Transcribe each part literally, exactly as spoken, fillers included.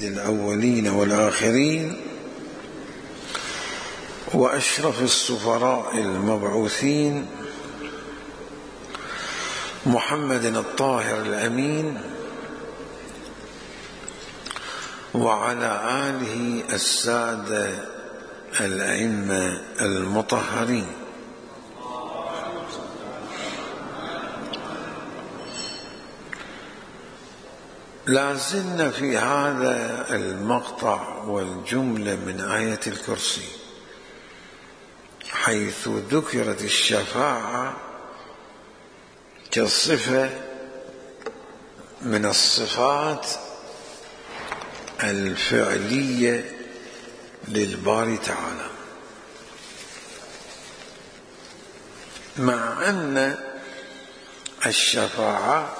سيد الأولين والآخرين وأشرف السفراء المبعوثين محمد الطاهر الأمين وعلى آله السادة الأئمة المطهرين. لا زلنا في هذا المقطع والجملة من آية الكرسي حيث ذكرت الشفاعة كصفة من الصفات الفعلية للباري تعالى، مع أن الشفاعة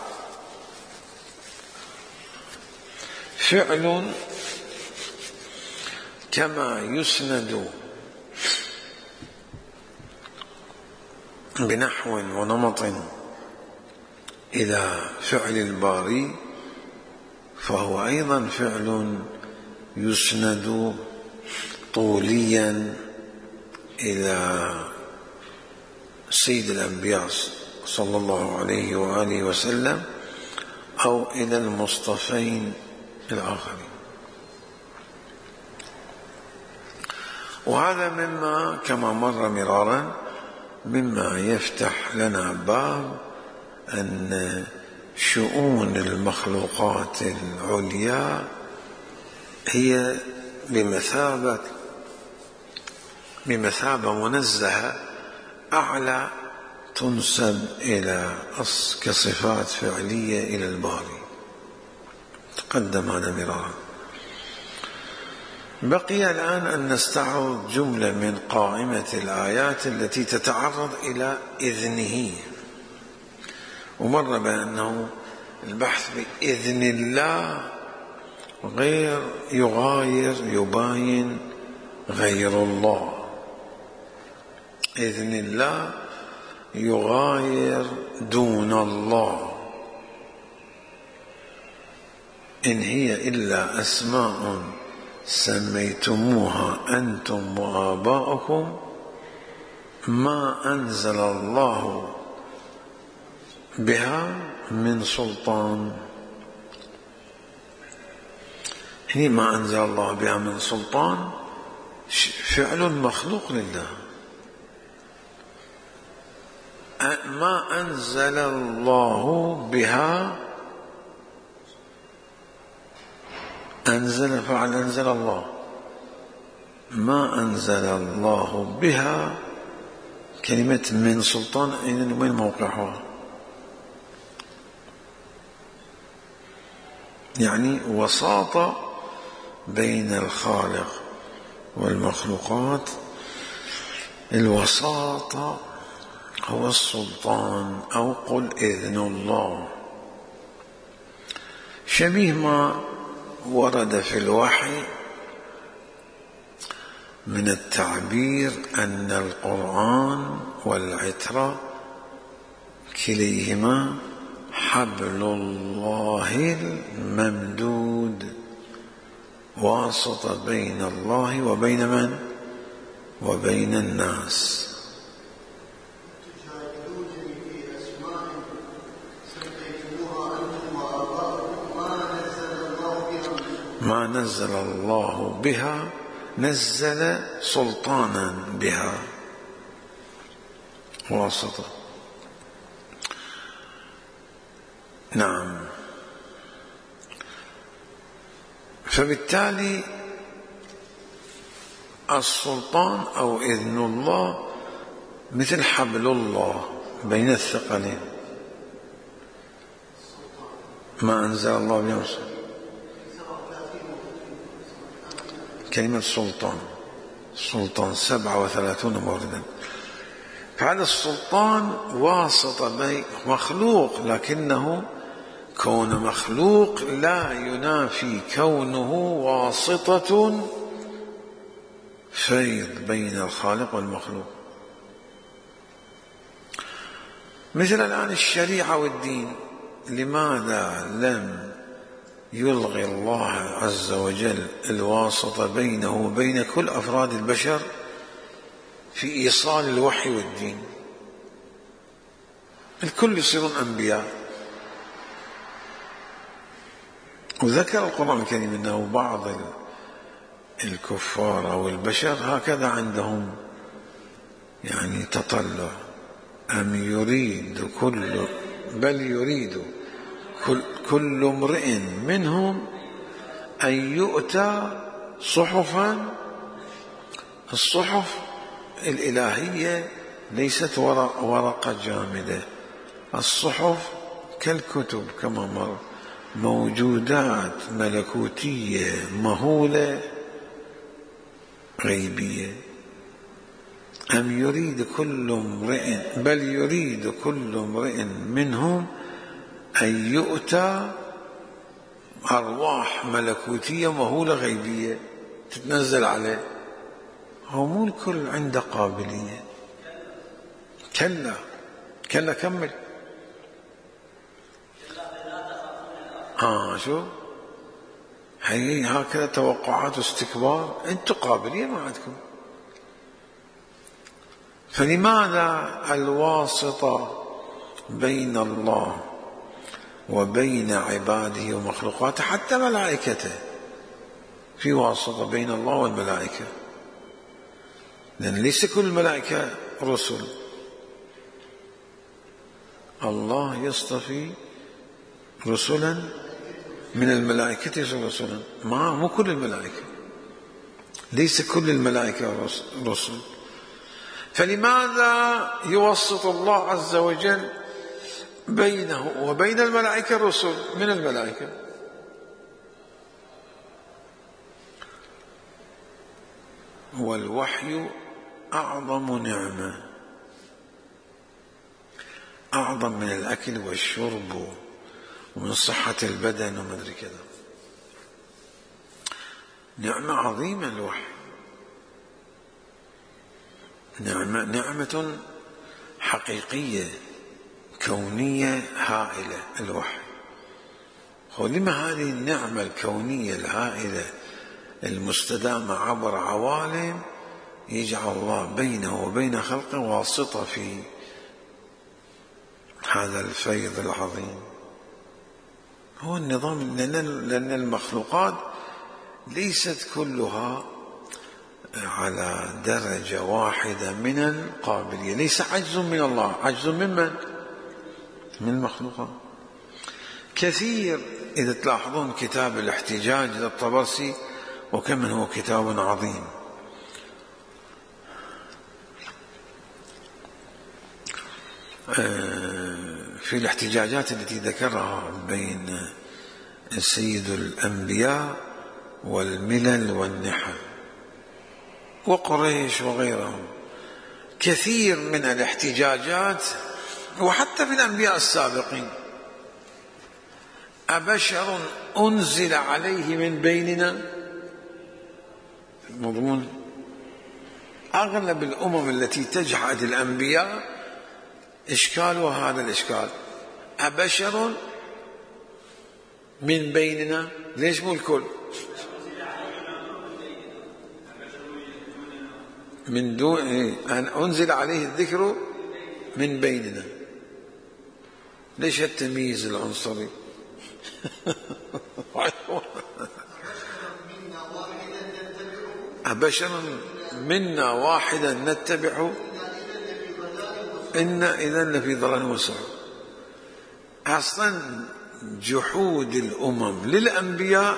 فعل كما يسند بنحو ونمط إلى فعل الباري، فهو أيضا فعل يسند طوليا إلى سيد الأنبياء صلى الله عليه وآله وسلم أو إلى المصطفين الآخرين. وهذا مما كما مر مرارا مما يفتح لنا باب أن شؤون المخلوقات العليا هي بمثابة بمثابة منزهة أعلى تنسب إلى كصفات فعلية إلى الباري، تقدم هذا مرارا. بقي الآن أن نستعرض جملة من قائمة الآيات التي تتعرض إلى إذنه، ومر بأنه البحث بإذن الله غير يغاير يباين غير الله. إذن الله يغاير دون الله، إن هي إلا أسماء سميتموها أنتم وآباؤكم ما أنزل الله بها من سلطان. هي ما أنزل الله بها من سلطان فعل مخلوق لله. ما أنزل الله بها أنزل فعل أنزل الله، ما أنزل الله بها كلمة من سلطان أين وين موقعها؟ يعني وساطة بين الخالق والمخلوقات. الوساطة هو السلطان أو قل إذن الله، شبيه ما ورد في الوحي من التعبير أن القرآن والعترة كليهما حبل الله الممدود، واسطة بين الله وبين من؟ وبين الناس. ما نزل الله بها نزل سلطانا بها، واسطة. نعم. فبالتالي السلطان أو إذن الله مثل حبل الله بين الثقلين. ما أنزل الله بها كلمة سلطان، سلطان سبعة وثلاثون موردا. فهذا السلطان واسطة بين مخلوق، لكنه كون مخلوق لا ينافي كونه واسطة فيض بين الخالق والمخلوق. مثل الآن الشريعة والدين، لماذا لم يلغي الله عز وجل الواسطة بينه وبين كل أفراد البشر في إيصال الوحي والدين. الكل يصيرون أنبياء. وذكر القرآن الكريم أنه بعض الكفار أو البشر هكذا عندهم يعني تطلع، أم يريد كل بل يريد كل, كل امرئ منهم أن يؤتى صحفا. الصحف الإلهية ليست ورقة جامدة، الصحف كالكتب كما مر، موجودات ملكوتية مهولة غيبية. أم يريد كل امرئ بل يريد كل امرئ منهم أن يؤتى أرواح ملكوتية مهولة غيبية تتنزل عليه. هو مو الكل عنده قابلية. كلا كلا كمل. ها شو هي هكذا توقعات واستكبار. انتم قابلية ما عندكم. فلماذا الواسطة بين الله وبين عباده ومخلوقاته حتى ملائكته؟ في واسطة بين الله والملائكة، لأن ليس كل الملائكة رسل. الله يصطفي رسلا من الملائكة رسلا، ما مو كل الملائكة، ليس كل الملائكة رسل. فلماذا يوسط الله عز وجل بينه وبين الملائكة الرسل من الملائكة؟ والوحي أعظم نعمة، أعظم من الأكل والشرب ومن صحة البدن ومدري كذا. نعمة عظيمة الوحي، نعمة, نعمة حقيقية كونية هائلة الوحي. ولما هذه النعمة الكونية الهائلة المستدامة عبر عوالم يجعل الله بينه وبين خلقه واسطة في هذا الفيض العظيم. هو النظام، لأن المخلوقات ليست كلها على درجة واحدة من القابلية. ليس عجز من الله، عجز ممن؟ من المخلوقات. كثير إذا تلاحظون كتاب الاحتجاج للطبرسي وكم هو كتاب عظيم، في الاحتجاجات التي ذكرها بين سيد الأنبياء والملل والنحل وقريش وغيرهم، كثير من الاحتجاجات وحتى في الأنبياء السابقين: أبشر أنزل عليه من بيننا؟ مضمون أغلب الأمم التي تجحد الأنبياء إشكالها هذا الإشكال: أبشر من بيننا؟ ليش مو الكل؟ من دون أن أنزل عليه الذكر من بيننا. ليش التمييز العنصري؟ أبشر منا واحدا نتبعه إن إذا لفي ضلال وسعر. أصلا جحود الأمم للأنبياء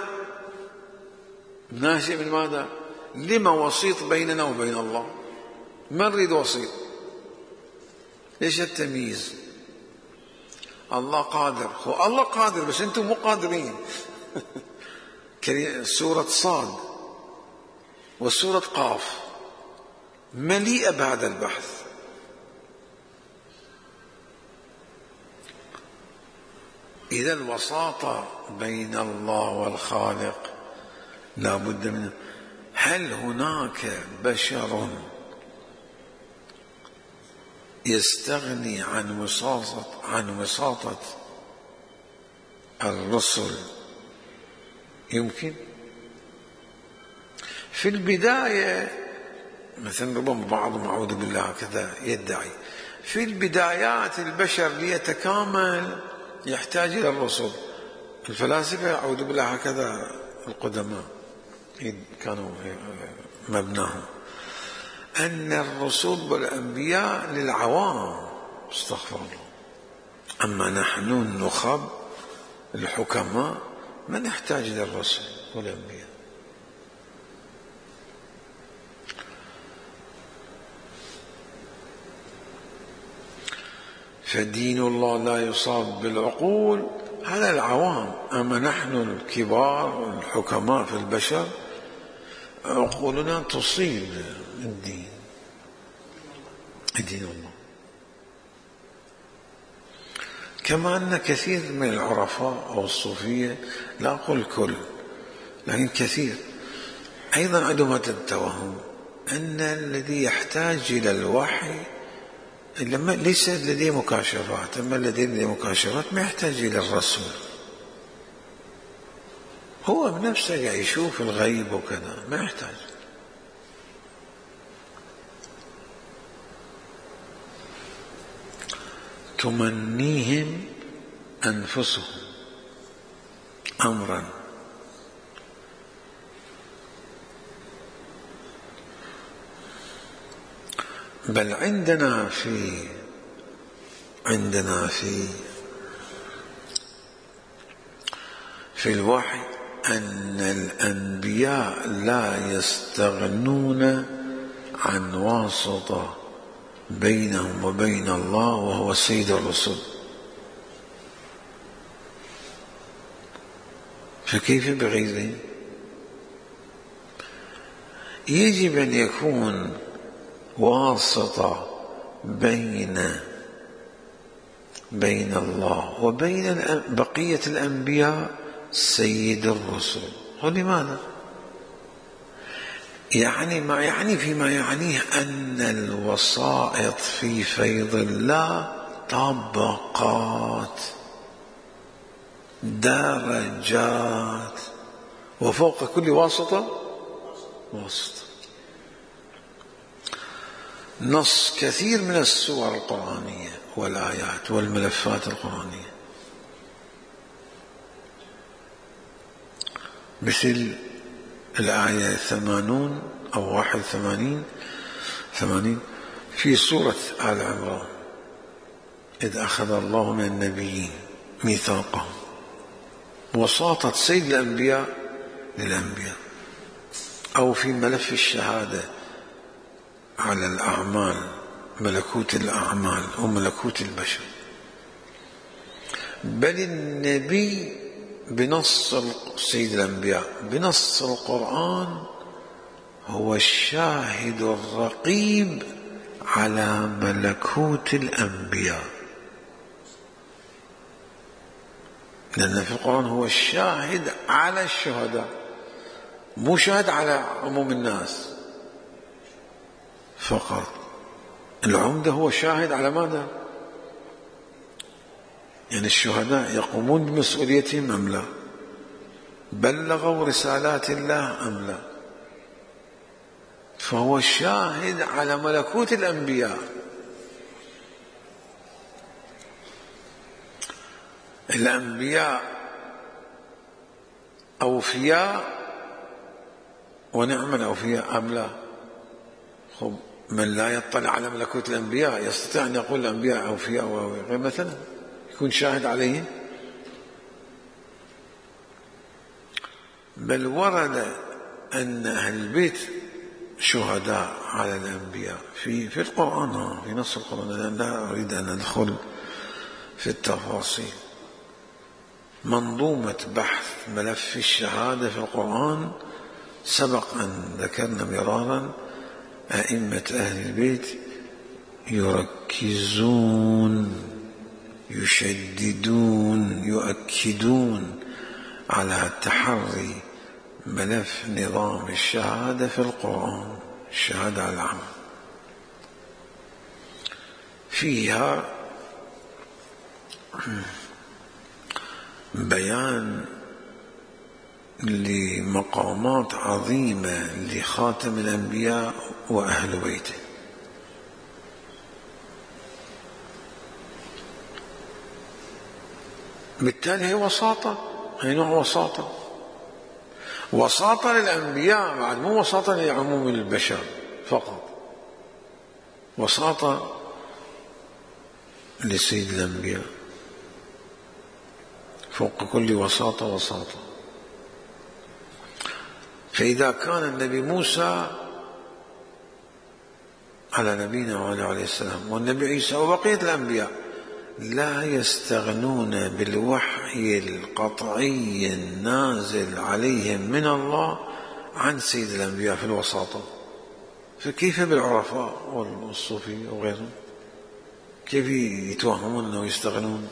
ناشئ من ماذا؟ لما وسيط بيننا وبين الله، ما نريد وسيط. ليش التمييز؟ الله قادر، هو الله قادر بس أنتم مو قادرين. سورة صاد وسورة قاف مليئة بهذا البحث. إذا الوساطة بين الله والخالق لا بد منه. هل هناك بشر يستغني عن وساطة عن وساطة الرسل يمكن في البداية مثلا ربما بعضهم أعوذ بالله كذا يدعي في البدايات البشر ليتكامل يحتاج إلى الرسل. الفلاسفة أعوذ بالله هكذا القدماء كانوا مبناهم أن الرسل والأنبياء للعوام، استغفر الله، أما نحن النخب الحكماء ما نحتاج إلى الرسل والأنبياء. فدين الله لا يصاب بالعقول، هذا العوام، أما نحن الكبار الحكماء في البشر عقولنا تصيب الدين دين الله. كما أن كثير من العرفاء أو الصوفية، لا أقول الكل لكن كثير أيضا عندهم التوهم أن الذي يحتاج إلى الوحي لما ليس لديه مكاشفات، أما الذي لديه مكاشفات ما يحتاج إلى الرسول، هو بنفسه يشوف الغيب وكذا ما يحتاج. تمنيهم أنفسهم أمرا بل عندنا في عندنا في في الوحي أن الأنبياء لا يستغنون عن واسطة بينهم وبين الله وهو سيد الرسل، فكيف بغيره؟ يجب أن يكون واسطة بين بين الله وبين بقية الأنبياء سيد الرسل. ولماذا؟ يعني ما يعني فيما يعنيه أن الوسائط في فيض الله طبقات درجات، وفوق كل واسطة واسطة. نص كثير من السور القرآنية والآيات والملفات القرآنية مثل الآية ثمانون أو واحد ثمانين ثمانين في سورة آل عمران: إذ أخذ الله من النبيين ميثاقهم، وساطة سيد الأنبياء للأنبياء. أو في ملف الشهادة على الأعمال، ملكوت الأعمال وملكوت البشر. بل النبي بنص سيد الأنبياء بنص القرآن هو الشاهد الرقيب على ملكوت الأنبياء، لأن في القرآن هو الشاهد على الشهداء، مو شاهد على عموم الناس فقط. العمدة هو شاهد على ماذا؟ يعني الشهداء يقومون بمسؤوليتهم أم لا؟ بلغوا رسالات الله أم لا؟ فهو شاهد على ملكوت الأنبياء. الأنبياء أوفياء ونعم الأوفياء أم لا؟ خب من لا يطلع على ملكوت الأنبياء يستطيع أن يقول الأنبياء أوفياء وغير مثلا يكون شاهد عليهم؟ بل ورد أن أهل البيت شهداء على الأنبياء في في القرآن، في نص القرآن. أنا لا أريد أن أدخل في التفاصيل. منظومة بحث ملف الشهادة في القرآن سبق أن ذكرنا مرارا أئمة أهل البيت يركزون يشددون يؤكدون على تحري ملف نظام الشهادة في القرآن، الشهادة على العمل. فيها بيان لمقامات عظيمة لخاتم الأنبياء وأهل بيته. بالتالي هي وساطة، هي نوع وساطة، وساطة للأنبياء بعد، مو وساطة لعموم البشر فقط، وساطة لسيد الأنبياء فوق كل وساطة وساطة. فإذا كان النبي موسى على نبينا وعلى عليه السلام والنبي عيسى وبقية الأنبياء لا يستغنون بالوحي القطعي النازل عليهم من الله عن سيد الأنبياء في الوساطة، فكيف بالعرفاء والصوفية وغيرهم؟ كيف يتوهمون أنه يستغنون؟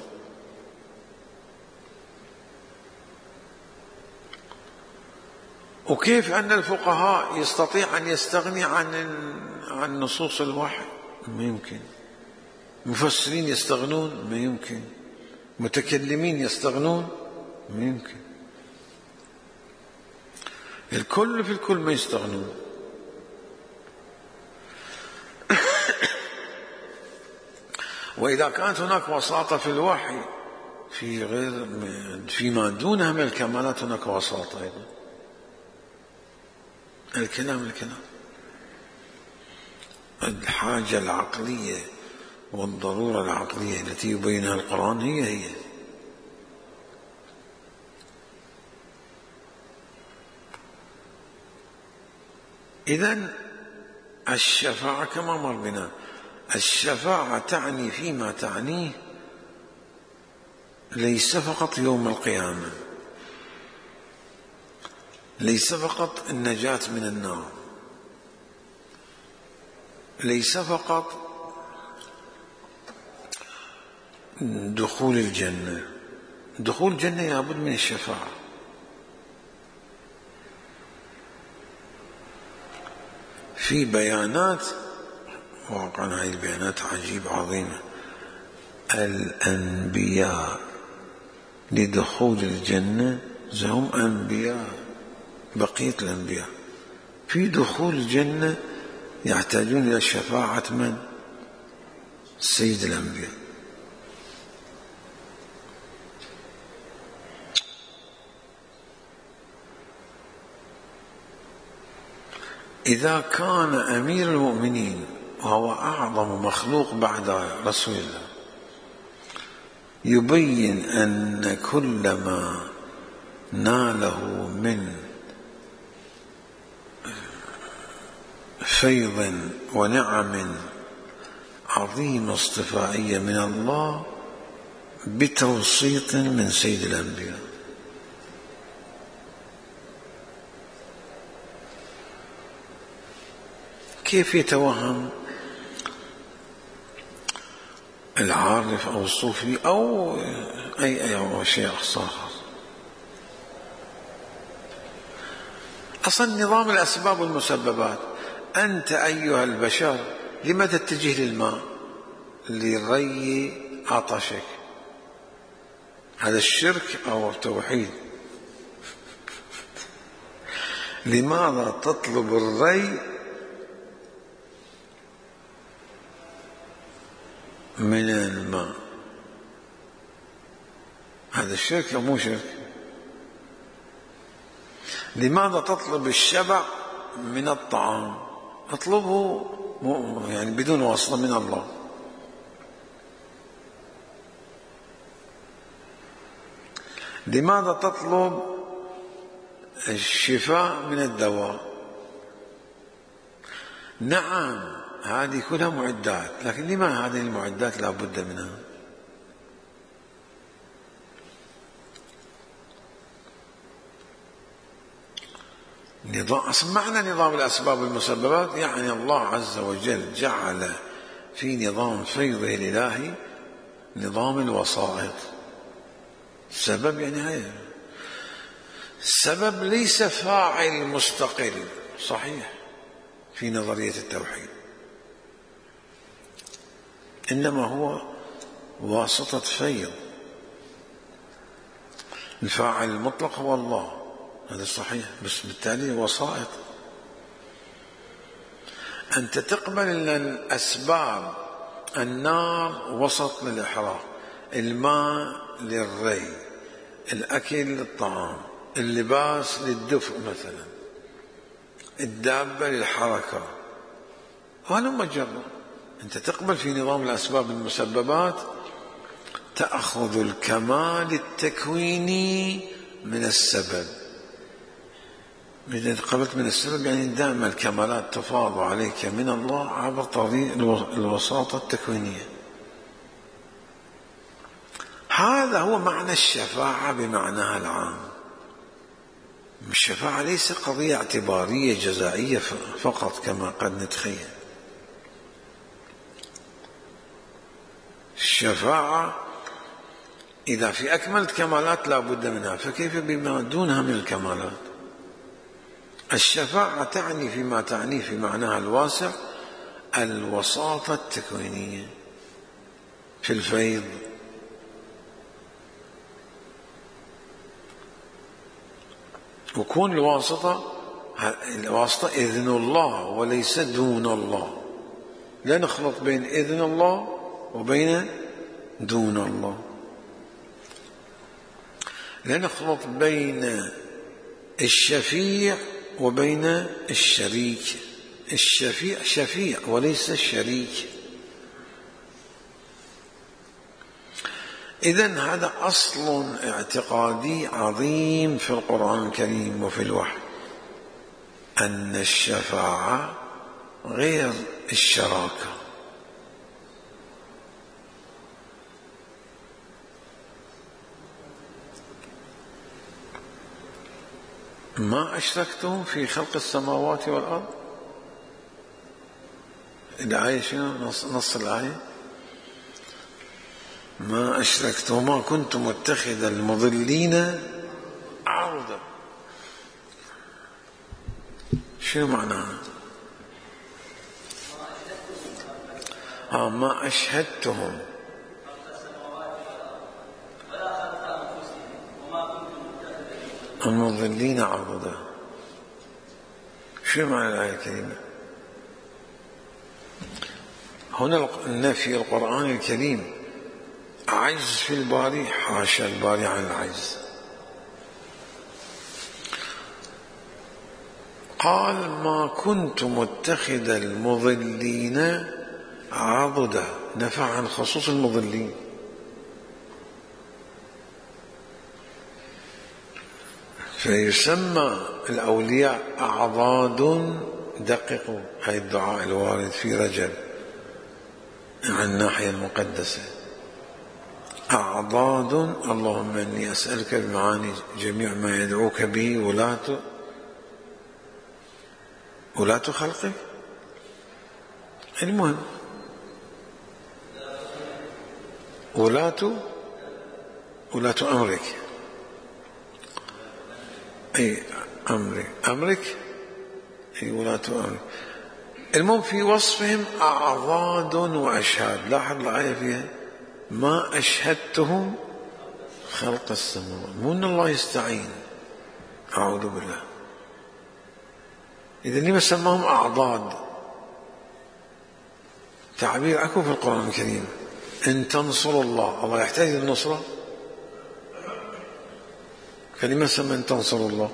وكيف أن الفقهاء يستطيع أن يستغني عن عن نصوص الوحي؟ ما يمكن. مفسرين يستغنون؟ ما يمكن. متكلمين يستغنون؟ ما يمكن. الكل في الكل ما يستغنون. وإذا كانت هناك وساطة في الوحي في غير فيما دونها من الكمالات هناك وساطة أيضا. الكلام الكلام الحاجة العقلية والضرورة العقلية التي يبينها القرآن هي هي. إذن الشفاعة كما مر بنا، الشفاعة تعني فيما تعنيه ليس فقط يوم القيامة، ليس فقط النجاة من النار، ليس فقط دخول الجنة. دخول الجنة لابد من الشفاعة. في بيانات واقعا هذه البيانات عجيبة عظيمة. الأنبياء لدخول الجنة هم أنبياء بقية الأنبياء، في دخول الجنة يحتاجون إلى شفاعة من؟ سيد الأنبياء. إذا كان أمير المؤمنين وهو أعظم مخلوق بعد رسول الله يبين أن كل ما ناله من فيض ونعم عظيمة اصطفائية من الله بتوسيط من سيد الأنبياء، كيف يتوهم العارف أو الصوفي أو أي أي شيء آخر؟ أصلا نظام الأسباب والمسببات. أنت أيها البشر لما تتجه للماء؟ لري عطشك، هذا الشرك أو التوحيد. لماذا تطلب الري من الماء؟ هذا الشرك أو مو شرك؟ لماذا تطلب الشبع من الطعام؟ اطلبه يعني بدون واسطة من الله. لماذا تطلب الشفاء من الدواء؟ نعم هذه كلها معدات، لكن لما هذه المعدات لا بد منها؟ نظام أصلا معنى نظام الأسباب والمسببات يعني الله عز وجل جعل في نظام فيضه الإلهي نظام الوسائط. السبب يعني هذا السبب ليس فاعل مستقل صحيح في نظرية التوحيد، إنما هو واسطة فيض. الفاعل المطلق هو الله، هذا صحيح، بس بالتالي وسائط. أنت تقبل أن الأسباب، النار وسط للإحراق، الماء للري، الأكل للطعام، اللباس للدفء مثلا، الدابة للحركة، هذا مجرد. أنت تقبل في نظام الأسباب المسببات، تأخذ الكمال التكويني من السبب. إذا قبلت من السبب يعني دائما الكمالات تفاض عليك من الله عبر طريق الوساطة التكوينية. هذا هو معنى الشفاعة بمعناها العام. الشفاعة ليس قضية اعتبارية جزائية فقط كما قد نتخيل. الشفاعة إذا في أكمل الكمالات لا بد منها، فكيف بما دونها من الكمالات؟ الشفاعة تعني فيما تعنيه في معناها الواسع الوساطة التكوينية في الفيض. وكون الواسطة الواسطة إذن الله وليس دون الله، لا نخلط بين إذن الله وبين دون الله، لا نخلط بين الشفيع وبين الشريك. الشفيع شفيع وليس الشريك. إذن هذا أصل اعتقادي عظيم في القرآن الكريم وفي الوحي، أن الشفاعة غير الشراكة. ما أشركتم في خلق السماوات والأرض. الآية شنو؟ نص, نص الآية: ما أشركت وما كنت متخذ المضلين عضدا. شنو معناها؟ آه ما أشهدتهم المضلين عضدا. شنو معنى الآية الكريمة؟ هنا النفي القرآن الكريم عجز في الباري، حاشا الباري عن العجز. قال ما كنت متخذ المضلين عضدا، نفى عن خصوص المضلين. فيسمى الأولياء أعضاد. دققوا هاي الدعاء الوارد في رجب عن الناحية المقدسة: أعضاد اللهم إني أسألك بمعاني جميع ما يدعوك به ولاة ولاة خلقك. المهم ولاة ولاة أمرك، أي أمرك أمرك أي ولاة أمرك. المهم في وصفهم أعضاد وأشهاد. لاحظ الآية فيها ما أشهدتهم خلق السماوات، مو أن الله يستعين، أعوذ بالله. إذا لما سماهم أعضاد؟ تعبير أكو في القرآن الكريم: إن تنصروا الله. الله يحتاج للنصرة؟ فلما سمى إن تنصروا الله؟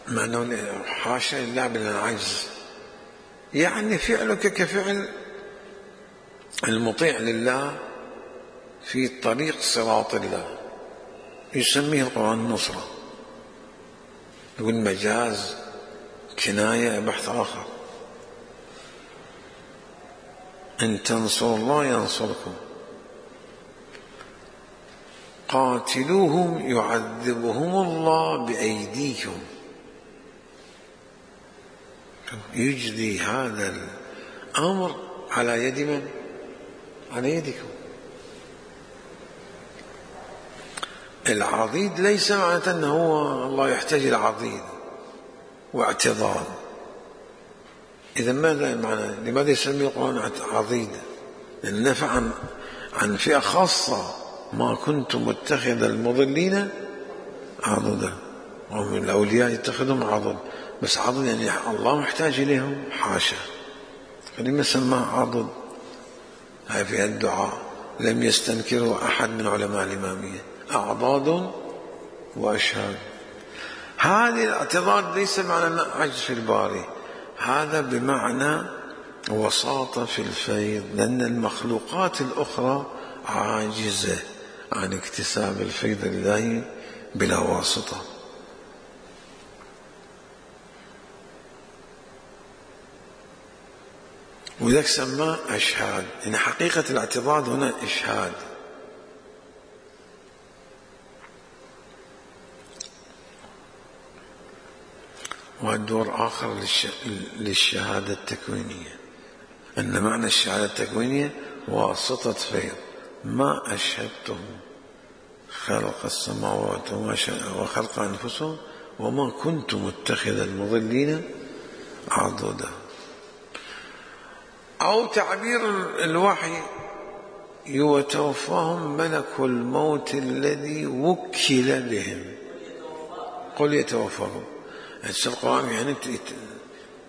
مع أنه حاشا لله من العجز، يعني فعلك كفعل المطيع لله في طريق صراط الله، يسميه القرآن النصرة. يقول مجاز، كناية، بحث آخر. إن تنصروا الله ينصركم. قاتلوهم يعذبهم الله بأيديكم. يجري هذا الأمر على يد من؟ على يدكم. العضيد ليس معناته أنه هو الله يحتاج إلى عضيد واعتضاد. إذا ماذا معنى؟ لماذا يسمي القرآن عضيد؟ لأن نفع عن, عن فئة خاصة ما كنت متخذ المضلين عضدا. ومن الأولياء يتخذهم عضد، بس عضد يعني الله محتاج إليهم؟ حاشا. فلما سماه عضد؟ هاي في الدعاء لم يستنكره أحد من علماء الإمامية. أعضاد وأشهاد. هذه الاعتضاد ليس معنى عجز في الباري، هذا بمعنى وساطة في الفيض، لأن المخلوقات الأخرى عاجزة عن اكتساب الفيض لله بلا واسطة. ولذلك سماه أشهاد، يعني حقيقة الاعتضاد هنا إشهاد. والدور آخر للشهادة التكوينية، أن معنى الشهادة التكوينية واسطة فيض. ما أشهدتهم خلق السماوات وخلق أنفسهم وما كنت متخذ المضلين عضدا. أو تعبير الوحي يتوفاهم ملك الموت الذي وكل بهم. قل يتوفاهم، القرآن يعني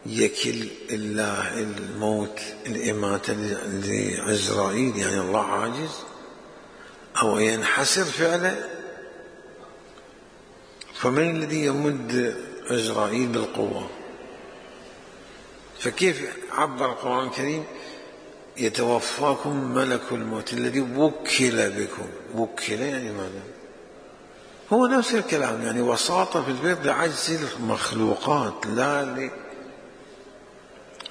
يكل الله الموت الإماتة لعزرائيل، يعني الله عاجز أو ينحسر فعله. فمن الذي يمد عزرائيل بالقوة؟ فكيف عبر القرآن الكريم يتوفاكم ملك الموت الذي وكل بكم؟ وكل يعني ماذا؟ هو نفس الكلام، يعني وساطة في الفيض لعجز المخلوقات، لا ل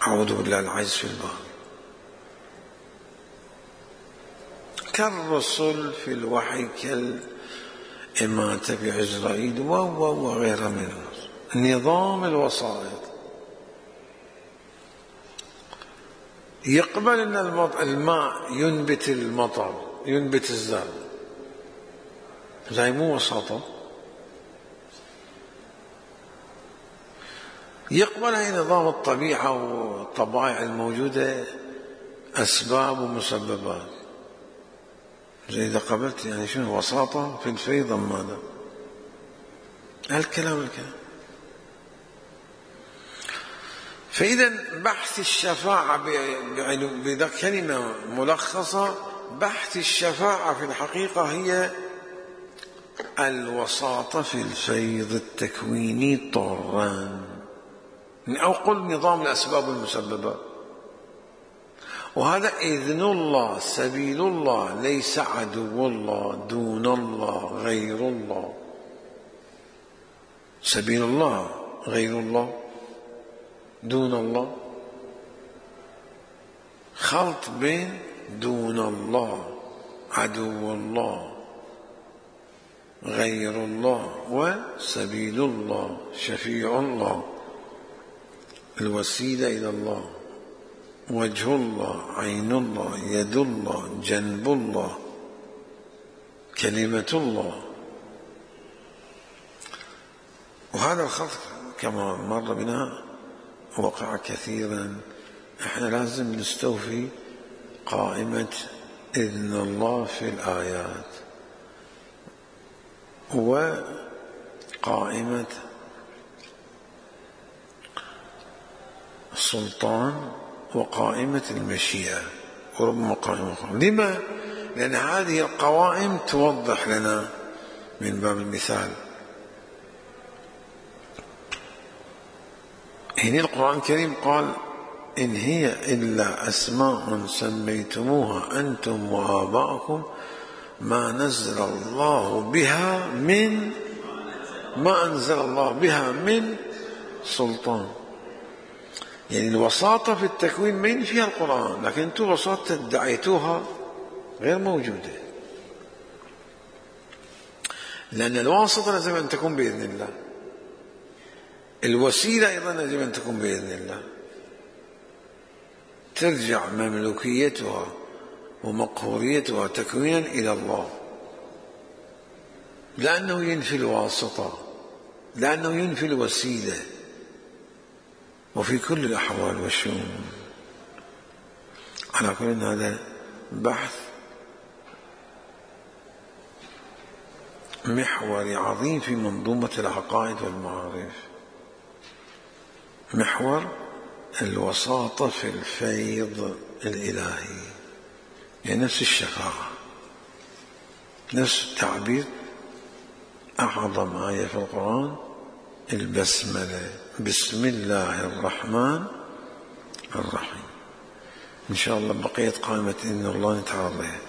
أعوذ بالله العجز في البار. كالرسل في الوحي كالإماتة بعزرائيل وغيرها من نظام الوسائط. يقبل أن الماء ينبت المطر، ينبت الزرع، زي مو وساطة. يقبل هي نظام الطبيعة والطبائع الموجودة أسباب ومسببات. زي إذا قبلت يعني شنو وساطة في الفيض ماذا؟ هالكلام الكلام. فإذا بحث الشفاعة بكلمة ملخصة، بحث الشفاعة في الحقيقة هي الوساطة في الفيض التكويني طرا، أو قل نظام الأسباب والمسببات. وهذا إذن الله، سبيل الله، ليس عدو الله، دون الله، غير الله. سبيل الله غير الله، دون الله، خلط بين دون الله، عدو الله، غير الله، وسبيل الله، شفيع الله، الوسيلة إلى الله، وجه الله، عين الله، يد الله، جنب الله، كلمة الله. وهذا الخلط كما مر بنا وقع كثيرا. احنا لازم نستوفي قائمة إذن الله في الآيات، وقائمة السلطان، وقائمة المشيئة، وربما قائمة أخرى. لما؟ لأن هذه القوائم توضح لنا من باب المثال. هنا القرآن الكريم قال إن هي إلا أسماء سميتموها أنتم وآباؤكم ما نزل الله بها من ما أنزل الله بها من سلطان. يعني الوساطة في التكوين من فيها القرآن، لكن أنتم وساطة ادعيتوها غير موجودة، لأن الواسطة لازم أن تكون بإذن الله، الوسيلة أيضا لازم أن تكون بإذن الله. ترجع مملوكيتها ومقهوريتها تكوينا إلى الله، لأنه ينفي الواسطة، لأنه ينفي الوسيلة، وفي كل الأحوال والشؤون. على كل هذا بحث محور عظيم في منظومة العقائد والمعارف، محور الوساطة في الفيض الإلهي، يعني نفس الشفاعة، نفس التعبير. أعظم آية في القرآن البسملة، بسم الله الرحمن الرحيم. إن شاء الله بقية قائمة إذن الله نتعرض لها.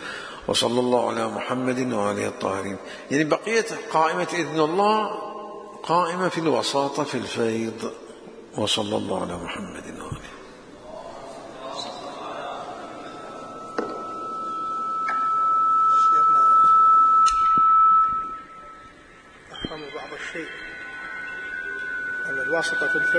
وصلى الله على محمد وآله الطاهرين. يعني بقية قائمة إذن الله قائمة في الوساطة في الفيض. وصلى الله على محمد وآله. أفهم بعض الشيء أن الواسطة في الفيض